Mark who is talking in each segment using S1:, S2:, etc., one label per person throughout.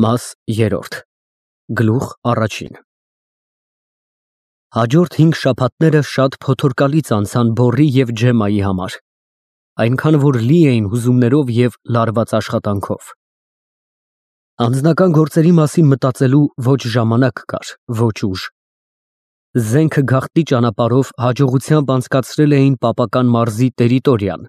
S1: Մաս 3 Գլուխ առաջին Հաջորդ 5 շաբաթները շատ փոթորկալից անցան Բոռի և Ջեմայի համար, այնքան որ լի էին հուզումներով և լարված աշխատանքով։ Անձնական գործերի մասին մտածելու ոչ ժամանակ կար, ոչ ուժ։ Զենքը գաղտնի ճանապարհով հաջողությամբ անցկացրել էին պապական մարզի տերիտորիան,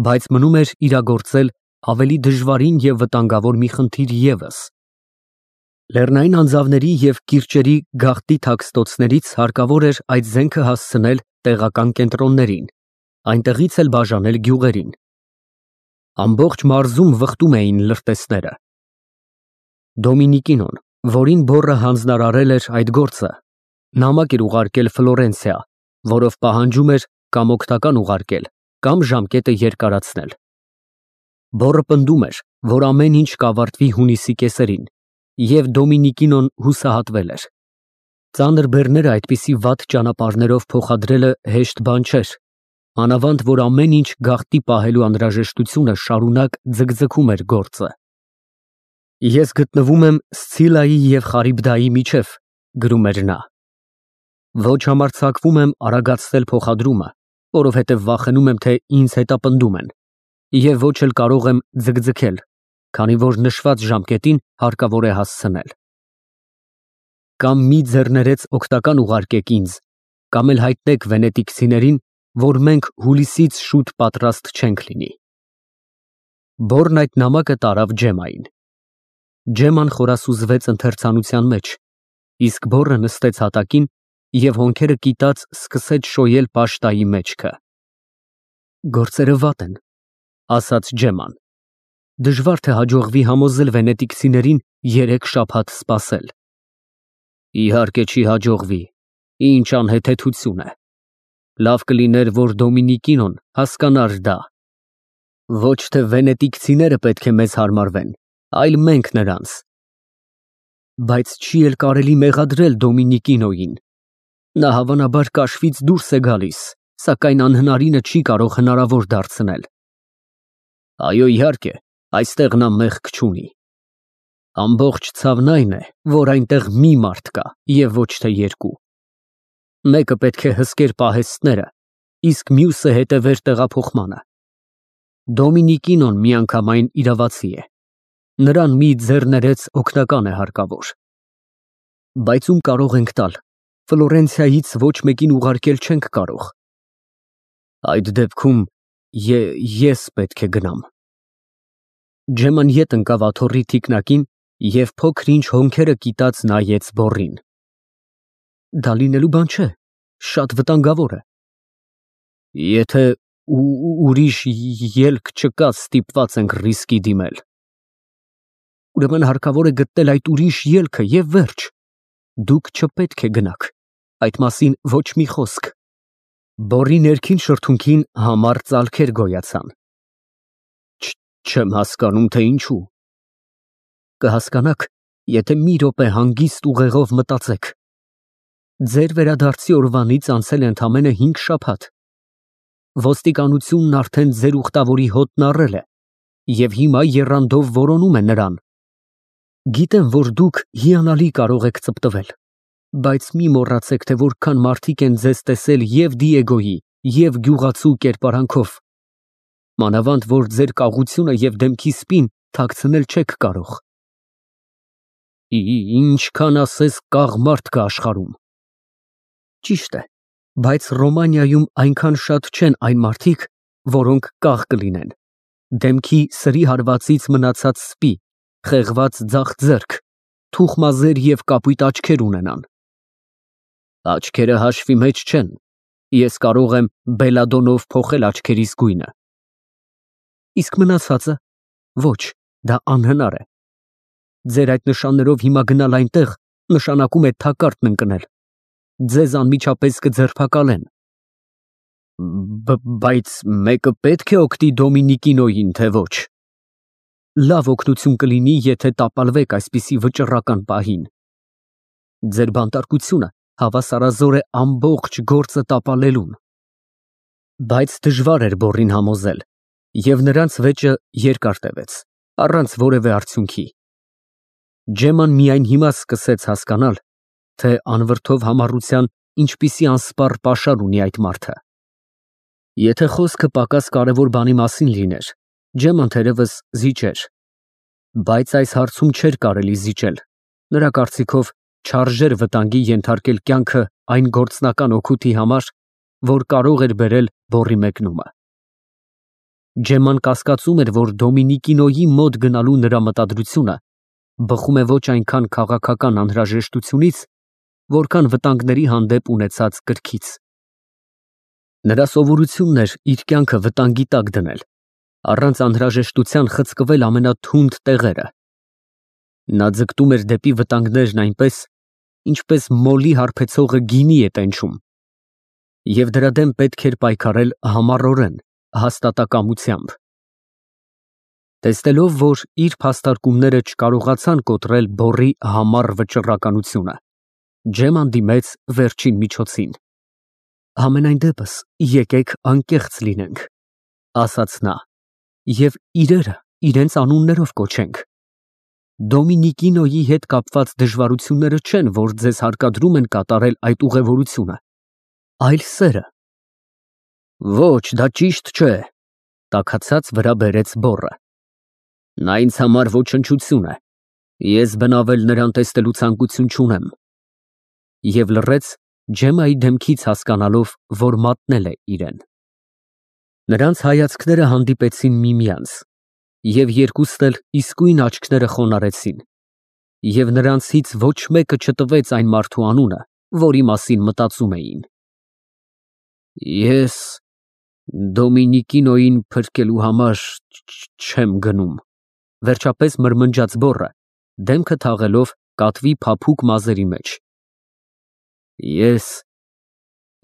S1: բայց մնում էր իրագործել ավելի դժվարին և վտանգավոր մի խնդիր ևս։ Լեռնային անձավների և կիրճերի գաղտնի թաքստոցներից հարկավոր էր այդ զենքը հասցնել տեղական կենտրոններին, այնտեղից էլ բաժանել գյուղերին։ Ամբողջ մարզում վխտում էին լրտեսները։ Դոմինիկինոն, որին Բոռը հանձնարարել էր այդ գործը, նամակ էր ուղարկել Ֆլորենցիա, որով պահանջում էր կամ օգնական ուղարկել, կամ ժամկետը երկարացնել։ Բոռը պնդում էր, որ ամեն ինչ կավարտվի հունիսի կեսերին, և Դոմինիկինոն հուսահատվել էր։ Ծանր բեռները այդպիսի վատ ճանապարհներով փոխադրելը հեշտ բան չէր, մանավանդ որ ամեն ինչ գաղտնի պահելու անհրաժեշտությունը շարունակ ձգձգում էր գործը։ Ես գտնվում եմ Սցիլայի և Խարիբդայի միջև, գրում էր նա։ Ոչ համարձակվում եմ արագացնել փոխադրումը, որովհետև վախենում եմ, թե ինձ հետապնդում են, և ոչ էլ կարող եմ ձգձգել, քանի որ նշված ժամկետին հարկավոր է հասցնել։ Կամ մի ձեռներեց օգնական ուղարկեք ինձ, կամ էլ հայտնեք վենետիկցիներին, որ մենք հուլիսից շուտ պատրաստ չենք լինի։ Բոռն այդ նամակը տարավ Ջեմային։ Ջեման խորասուզվեց ընթերցանության մեջ, իսկ Բոռը նստեց հատակին և հոնքերը կիտած սկսեց շոյել պաշտայի մեջքը։ Գործերը վատ են, ասաց Ջեման։ Դժվար թե հաջողվի համոզել վենետիկցիներին 3 շաբաթ սպասել։ Իհարկե չի հաջողվի, ինչ անհեթեթություն է։ Լավ կլիներ, որ Դոմինիկինոն հասկանար դա։ Ոչ թե վենետիկցիները պետք է մեզ հարմարվեն, այլ մենք նրանց։ Բայց չի էլ կարելի մեղադրել Դոմինիկինոյին։ Նա հավանաբար կաշվից դուրս է գալիս, սակայն անհնարինը չի կարող հնարավոր դարձնել։ Այո, իհարկե, այստեղ նա մեղք չունի։ Ամբողջ ցավն այն է, որ այնտեղ մի մարդ կա և ոչ թե 2։ Մեկը պետք է հսկեր պահեստները, իսկ մյուսը հետևեր տեղափոխմանը։ Դոմինիկինոն միանգամայն իրավացի է։ Նրան մի ձեռներեց օգնական է հարկավոր։ Բայց ում կարող ենք տալ, Ֆլորենցիայից ոչ մեկին ուղարկել չենք կարող։ Այդ դեպքում ես պետք է գնամ։ Ջեման ետ ընկավ աթոռի թիկնակին և փոքր-ինչ հոնքերը կիտած նայեց Բոռին։ Դա լինելու բան չէ, շատ վտանգավոր է։ Եթե ուրիշ ելք չկա, ստիպված ենք ռիսկի դիմել։ Ուրեմն հարկավոր է գտնել այդ ուրիշ ելքը և վերջ։ Դուք չպետք է գնաք, այդ մասին ոչ մի խոսք։ Բոռի ներքին շրթունքին համառ ծալքեր գոյացան։ Չեմ հասկանում, թե ինչու։ Կհասկանաք, եթե մի րոպե հանգիստ ուղեղով մտածեք։ Ձեր վերադարձի օրվանից անցել է ընդամենը 5 շաբաթ։ Ոստիկանությունն արդեն ձեր ուխտավորի հոտն առել է և հիմա եռանդով որոնում է նրան։ Գիտեմ, որ դուք հիանալի կարող եք ծպտվել, բայց մի մոռացեք, թե որքան մարդիկ են ձեզ տեսել և Դիեգոյի, և գյուղացու կերպարանքով։ Մանավանդ որ ձեր կաղությունը և դեմքի սպին թաքցնել չեք կարող։ Ինչքան ասես կաղ մարդ կա աշխարհում։ Ճիշտ է, բայց Ռոմանիայում այնքան շատ չեն այն մարդիկ, որոնք կաղ կլինեն։ Դեմքի սրի հարվածից մնացած սպի, խեղված ձախ ձեռք, թուխ մազեր և կապույտ աչքեր ունենան։ Աչքերը հաշվի մեջ չեն։ Ես կարող եմ բելադոնով փոխել աչքերիս գույնը։ Իսկ մնացածը։ Ոչ, դա անհնար է։ Ձեր այդ նշաններով հիմա գնալ այնտեղ նշանակում է թակարդն ընկնել։ Ձեզ անմիջապես կձերբակալեն։ Բայց մեկը պետք է օգնի Դոմինիկինոյին, թե ոչ։ Լավ օգնություն կլինի, եթե տապալվեք այսպիսի վճռական պահին։ Ձեր բանտարկությունը հավասարազոր է ամբողջ գործը տապալելուն։ Բայց դժվար էր Բոռին համոզել, և նրանց վեճը երկար տևեց, առանց որևէ արդյունքի։ Ջեման միայն հիմա սկսեց հասկանալ, թե անվրդով համառության ինչպիսի անսպառ պաշար ունի այդ մարդը։ Եթե խոսքը պակաս կարևոր բանի մասին լիներ, Ջեման թերևս զիջեր, բայց այս հարցում չէր կարելի զիջել, նրա կարծիքով չարժեր վտանգի ենթարկել կյանքը այն գործնական օգուտի համար, որ կարող էր բերել բոռի մեկնումը։ Ջեման կասկածում էր, որ Դոմինիկինոյի մոտ գնալու նրա մտադրությունը բխում է ոչ այնքան քաղաքական անհրաժեշտությունից, որքան վտանգների հանդեպ ունեցած կրքից։ Նրա սովորությունն էր իր կյանքը վտանգի տակ դնել, առանց անհրաժեշտության խցկվել ամենաթունդ տեղերը։ Նա ձգտում էր դեպի վտանգներն այնպես, ինչպես մոլի հարբեցողը գինի է տենչում, և դրա դեմ պետք էր պայքարել համառորեն, հաստատակամությամբ։ Տեսնելով, որ իր փաստարկումները չկարողացան կոտրել բոռի համառ վճռականությունը, Ջեման դիմեց վերջին միջոցին։ Համենայն դեպս, եկեք անկեղծ լինենք, ասաց նա, և իրերը իրենց անուններով կոչենք։ Դոմինիկինոյի հետ կապված դժվարությունները չեն, որ ձեզ հարկադրում են կատարել այդ ուղևորությունը, այլ սերը։ Ոչ, դա ճիշտ չէ, տաքացած վրա բերեց բոռը։ Նա ինձ համար ոչնչություն է, ես բնավել նրան տեսնելու ցանկություն չունեմ։ Եվ լռեց, Ջեմայի դեմքից հասկանալով, որ մատնել է իրեն։ Նրանց հայացքները հանդիպեցին միմյանց, և երկուստ էլ իսկույն աչքները խոնարհեցին, և նրանցից ոչ մեկը չտվեց այն մարդու անունը, որի մասին մտածում էին։ Ես Դոմինիկինոյին փրկելու համար չեմ գնում, վերջապես մրմնջաց բոռը, դեմքը թաղելով կատվի փափուկ մազերի մեջ։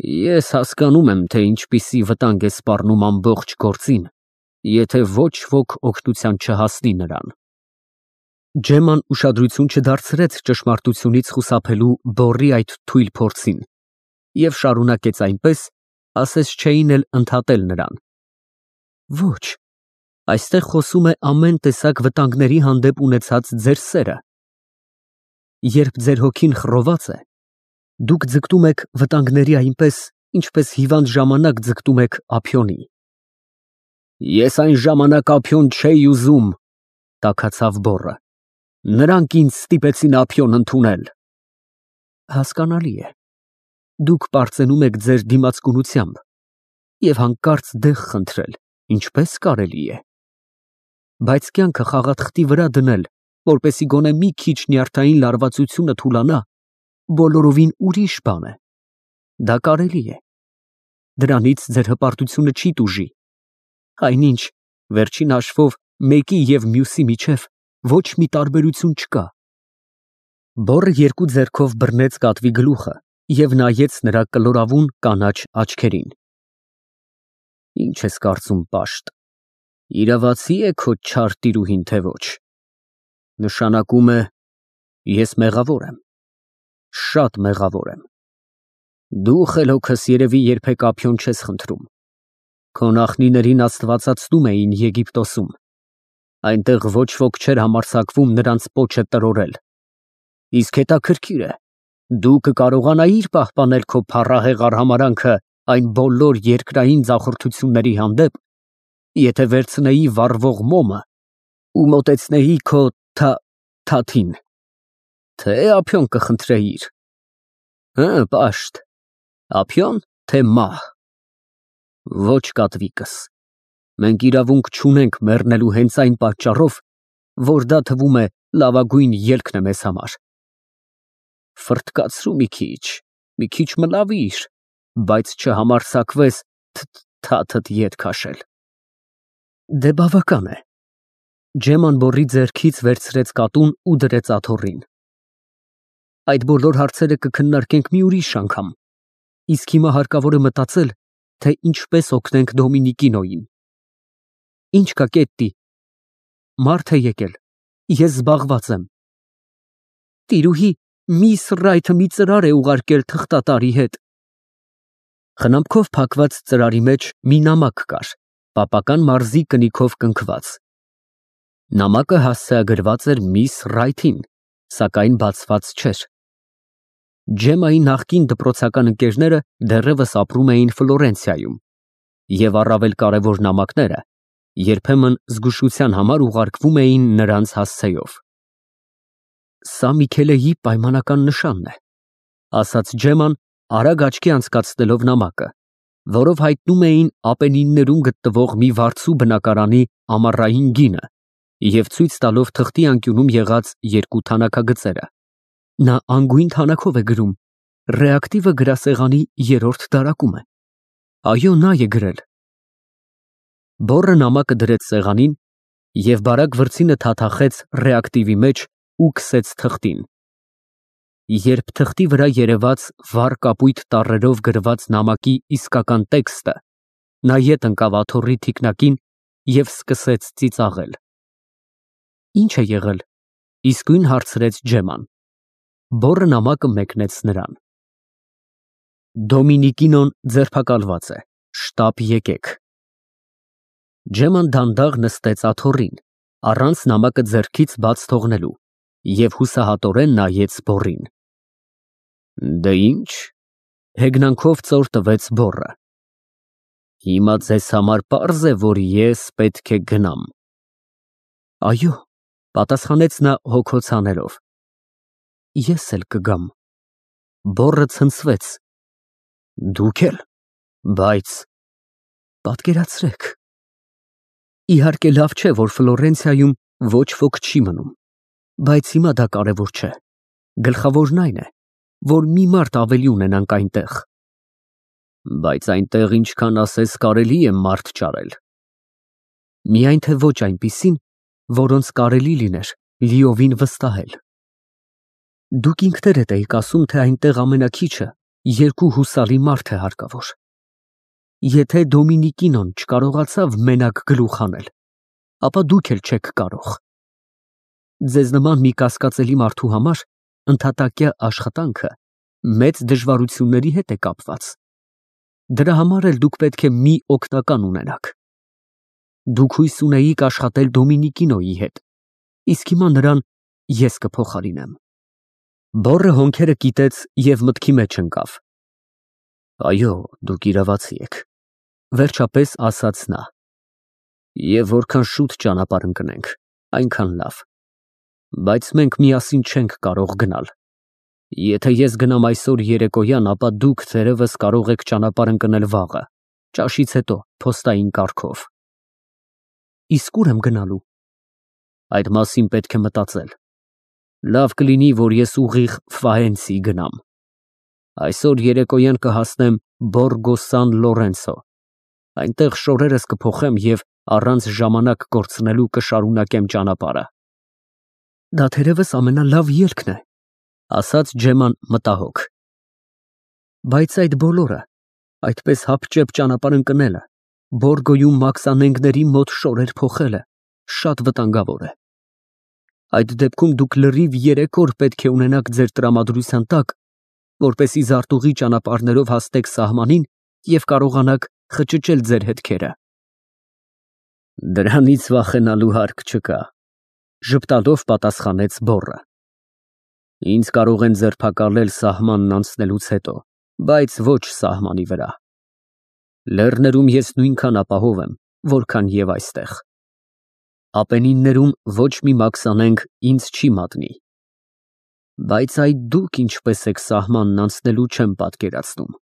S1: Ես հասկանում եմ, թե ինչպիսի վտանգ է սպառնում ամբողջ գործին, եթե ոչ ոք օգնության չհասնի նրան։ Ջեման ուշադրություն չդարձրեց ճշմարտությունից խուսափելու բոռի այդ թույլ փորձին և շարունակեց այնպես, ասես չէին էլ ընդհատել նրան։ Ոչ, այստեղ խոսում է ամեն տեսակ վտանգների հանդեպ ունեցած ձեր սերը։ Երբ ձեր հոգին խռոված է, դուք ձգտում եք վտանգների այնպես, ինչպես հիվանդ ժամանակ ձգտում եք ափիոնի։ Ես այն ժամանակ ափիոն չէի ուզում, տաքացավ բոռը։ Նրանք ինձ ստիպեցին ափիոն ընդունել։ Հասկանալի է։ Դուք պարծենում եք ձեր դիմացկունությամբ և հանկարծ դեղ խնդրել, ինչպես կարելի է։ Բայց կյանքը խաղաթղթի վրա դնել, որպեսզի գոնե մի քիչ նյարդային լարվածությունը թուլանա, բոլորովին ուրիշ բան է։ Դա կարելի է։ Դրանից ձեր հպարտությունը չի տուժի։ Այնինչ, վերջին հաշվով, մեկի և մյուսի միջև ոչ մի տարբերություն չկա։ Բոռը երկու ձեռքով բռնեց կատվի գլուխը և նայեց նրա կլորավուն կանաչ աչքերին։ Ինչ ես կարծում, պաշտ, իրավացի՞ է քո չար տիրուհին, թե ոչ։ Նշանակում է, ես մեղավոր եմ, շատ մեղավոր եմ։ Դու խելոքս երևի երբեք ափիոն չես խնդրում։ Քո նախնիներին աստվածացնում էին Եգիպտոսում։ Այնտեղ ոչ ոք չէր համարձակվում նրանց պոչը տրորել։ Իսկ հետաքրքիր է, դու կկարողանայիր պահպանել քո փառահեղ արհամարհանքը այն բոլոր երկրային ձախորդությունների հանդեպ, եթե վերցնեի վառվող մոմը ու մոտեցնեի քո թաթին, թե ափիոն կխնդրեիր։ Հը, պաշտ, ափիոն, թե մահ։ Ոչ, կատվիկս, մենք իրավունք չունենք մեռնելու հենց այն պատճառով, որ դա թվում է լավագույն ելքն է մեզ համար։ Ֆռթկացրու մի քիչ մլավիր, բայց չհամարձակվես թաթդ ետ քաշել։ Դե բավական է։ Ջեման բոռի ձեռքից վերցրեց կատուն ու դրեց աթոռին։ Այդ բոլոր հարցերը կքննարկենք մի ուրիշ անգամ, իսկ հիմա հարկավոր է մտածել, թե ինչպես օգնենք Դոմինիկինոյին։ Ինչ կա, Կետտի, մարդ է եկել, ես զբաղված եմ։ Տիրուհի, միս Ռայթը մի ծրար է ուղարկել թղթատարի հետ։ Խնամքով փակված ծրարի մեջ մի նամակ կար, պապական մարզի կնիքով կնքված։ Նամակը հասցեագրված էր միս Ռայթին, սակայն բացված չէր։ Ջեմայի նախկին դպրոցական ընկերները դեռևս ապրում էին Ֆլորենցիայում, եւ առավել կարևոր նամակները երբեմն զգուշության համար ուղարկվում էին նրանց հասցեով։ Սա Միքելեի պայմանական նշանն է, ասաց Ջեման, արագ աչքի անցկացնելով նամակը, որով հայտնում էին Ապենիններում գտնվող մի վարձու բնակարանի ամառային գինը և ցույց տալով թղթի անկյունում եղած երկու թանաքագծերը։ Նա անգույն թանաքով է գրում, ռեակտիվը գրասեղանի 3-րդ դարակում է։ Այո, նա է գրել։ Բոռը նամակը դրեց սեղանին և բարակ վրձինը թաթախեց ռեակտիվի մեջ ու քսեց թղթին։ Երբ թղթի վրա երևաց վառ կապույտ տառերով գրված նամակի իսկական տեքստը, նա ետ ընկավ աթոռի թիկնակին և սկսեց ծիծաղել։ Ինչ է եղել, իսկույն հարցրեց Ջեման։ Բոռը նամակը մեկնեց նրան։ Դոմինիկինոն ձերբակալված է, շտապ եկեք։ Ջեման դանդաղ նստեց աթոռին, առանց նամակը ձեռքից բաց թողնելու, և հուսահատորեն նայեց բոռին։ Դե ինչ, հեգնանքով ծոր տվեց բոռը։ Հիմա ձեզ համար պարզ է, որ ես պետք է գնամ։ Այո, պատասխանեց նա հոգոց հանելով։ Ես էլ կգամ։ Բոռը ցնցվեց։ Դուք էլ, բայց պատկերացրեք։ Իհարկե լավ չէ, որ Ֆլորենցիայում ոչ ոք չի մնում, բայց հիմա դա կարևոր չէ։ Գլխավորն այն է, որ մի մարդ ավելի ունենանք այնտեղ։ Բայց այնտեղ ինչքան ասես կարելի է մարդ ճարել։ Միայն թե ոչ այնպիսին, որոնց կարելի լիներ լիովին վստահել։ Դուք ինքներդ էիք ասում, թե այնտեղ ամենաքիչը 2 հուսալի մարդ է հարկավոր։ Եթե Դոմինիկինոն չկարողացավ մենակ գլուխ հանել, ապա դուք էլ չեք կարող։ Ձեզ նման մի կասկածելի մարդու համար ընդհատակյա աշխատանքը մեծ դժվարությունների հետ է կապված։ Դրա համար էլ դուք պետք է մի օգնական ունենաք։ Դուք հույս ունեիք աշխատել Դոմինիկինոյի հետ, իսկ հիմա նրան ես կփոխարինեմ։ Բոռը հոնքերը կիտեց և մտքի մեջ ընկավ։ Այո, դուք իրավացի եք, վերջապես ասաց նա։ Եվ որքան շուտ ճանապարհ ընկնենք, այնքան լավ։ Բայց մենք միասին չենք կարող գնալ։ Եթե ես գնամ այսօր երեկոյան, ապա դուք թերևս կարող եք ճանապարհ ընկնել վաղը, ճաշից հետո, փոստային կարգով։ Իսկ ուր եմ գնալու։ Այդ մասին պետք է մտածել։ Լավ կլինի, որ ես ուղիղ Ֆաենցի գնամ։ Այսօր երեկոյան կհասնեմ Բորգո Սան Լորենցո։ Այնտեղ շորերս կփոխեմ և առանց ժամանակ կորցնելու կշարունակեմ ճանապարհը։ Դա թերևս ամենալավ ելքն է, ասաց Ջեման մտահոգ։ Բայց այդ բոլորը, այդպես հապճեպ ճանապարհ ընկնելը, Բորգոյում մաքսանենգների մոտ շորեր փոխելը, շատ վտանգավոր է։ Այդ դեպքում դուք լրիվ 3 օր պետք է ունենաք ձեր տրամադրության տակ, որպեսզի զարտուղի ճանապարհներով հասնեք սահմանին և կարողանաք խճճել ձեր հետքերը։ Դրանից վախենալու հարկ չկա, ժպտալով պատասխանեց բոռը։ Ինձ կարող են ձերբակալել սահմանն անցնելուց հետո, բայց ոչ սահմանի վրա։ Լեռներում ես նույնքան ապահով եմ, որքան և այստեղ։ Ապենիններում ոչ մի մաքսանենգ ինձ չի մատնի։ Բայց այդ դուք ինչպես եք սահմանն անցնելու չեմ պատկերացնում։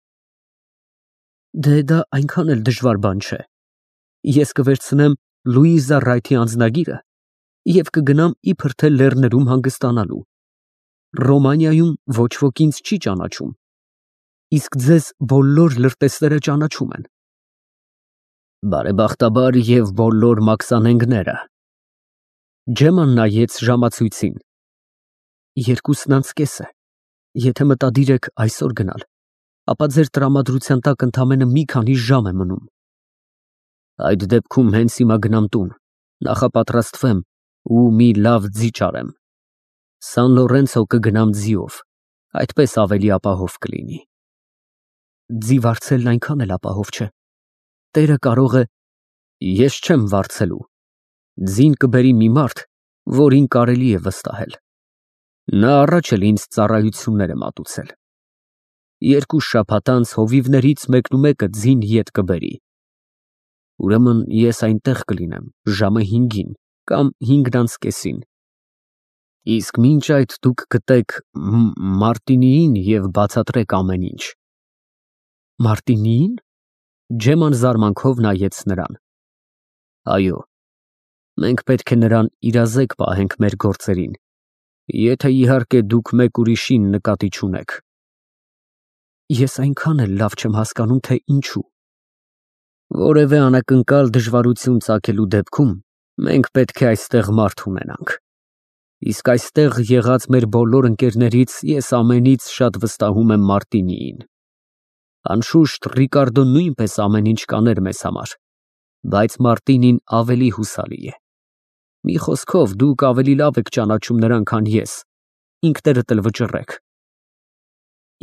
S1: Դե դա այնքան էլ դժվար բան չէ։ Ես կվերցնեմ Լուիզա Ռայթի անձնագիրը և կգնամ իբր թե լեռներում հանգստանալու։ Ռոմանիայում ոչ ոք ինձ չի ճանաչում, իսկ ձեզ բոլոր լրտեսները ճանաչում են։ Բարեբախտաբար և բոլոր մաքսանենգները։ Ջեման նայեց ժամացույցին։ 2:30 է։ Եթե մտադիր եք այսօր գնալ, ապա ձեր տրամադրության տակ ընդամենը մի քանի ժամ է մնում։ Այդ դեպքում հենց հիմա գնամ տուն, նախապատրաստվեմ ու մի լավ ձի ճարեմ։ Սան Լորենցո կգնամ ձիով, այդպես ավելի ապահով կլինի։ Ձի վարձելն այնքան էլ ապահով չէ։ Տերը կարող է… Ես չեմ վարձելու։ Ձին կբերի մի մարդ, որին կարելի է վստահել։ Նա առաջ էլ ինձ ծառայություններ է մատուցել։ 2 շաբաթ անց հովիվներից մեկնումեկը ձին ետ կբերի։ Ուրեմն ես այնտեղ կլինեմ ժամը 5-ին կամ 5:30-ին։ Իսկ մինչ այդ դուք գտեք Մարտինիին և բացատրեք ամեն ինչ։ Մարտինիին։ Ջեման զարմանքով նայեց նրան։ Այո, մենք պետք է նրան իրազեկ պահենք մեր գործերին, եթե իհարկե դուք մեկ ուրիշին նկատի չունեք։ Ես այնքան էլ լավ չեմ հասկանում, թե ինչու։ Որևէ անակնկալ դժվարություն ծագելու դեպքում մենք պետք է այստեղ մարդ ունենանք։ Իսկ այստեղ եղած մեր բոլոր ընկերներից ես ամենից շատ վստահում եմ Մարտինիին։ Անշուշտ Ռիկարդոն նույնպես ամեն ինչ կաներ մեզ համար, բայց Մարտինին ավելի հուսալի է։ Մի խոսքով, դուք ավելի լավ եք ճանաչում նրան, քան ես, ինքներդ էլ վճռեք։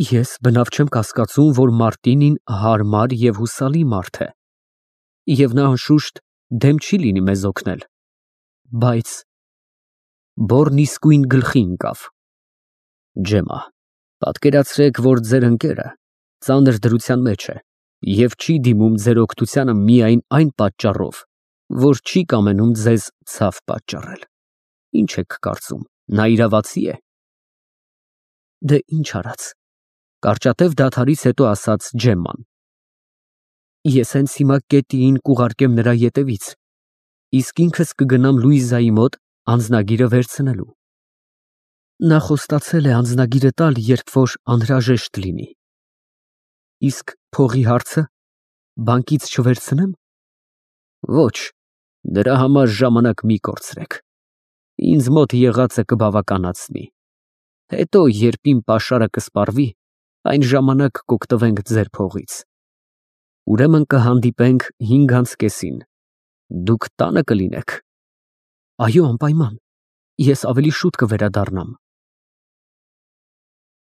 S1: Ես բնավ չեմ կասկածում, որ Մարտինին հարմար և հուսալի մարդ է, և նա անշուշտ դեմ չի լինի մեզ օգնել, բայց… Բոռն իսկույն գլխի ընկավ։ Ջեմա, պատկերացրեք, որ ձեր ընկերը ծանր դրության մեջ է և չի դիմում ձեր օգնությանը միայն այն պատճառով, որ չի կամենում ձեզ ցավ պատճառել։ Ինչ եք կարծում, նա իրավացի է։ Դե ինչ արած, կարճատև դադարից հետո ասաց Ջեմման։ Ես հենց հիմա կետիին կուղարկեմ նրա ետևից, իսկ ինքս կգնամ Լուիզայի մոտ անձնագիրը վերցնելու։ Նա խոստացել է անձնագիրը տալ, երբ որ անհրաժեշտ լինի։ Իսկ փողի հարցը բանկից չվերցնեմ։ Ոչ, դրա համար ժամանակ մի կորցրեք։ Ինձ մոտ եղածը կբավականացնի։ Հետո, երբ իմ պաշարը կսպառվի, այն ժամանակ կօգտվենք ձեր փողից։ Ուրեմն կհանդիպենք 5:30-ին։ Դուք տանը կլինեք։ Այո, անպայման։ Ես ավելի շուտ կվերադառնամ։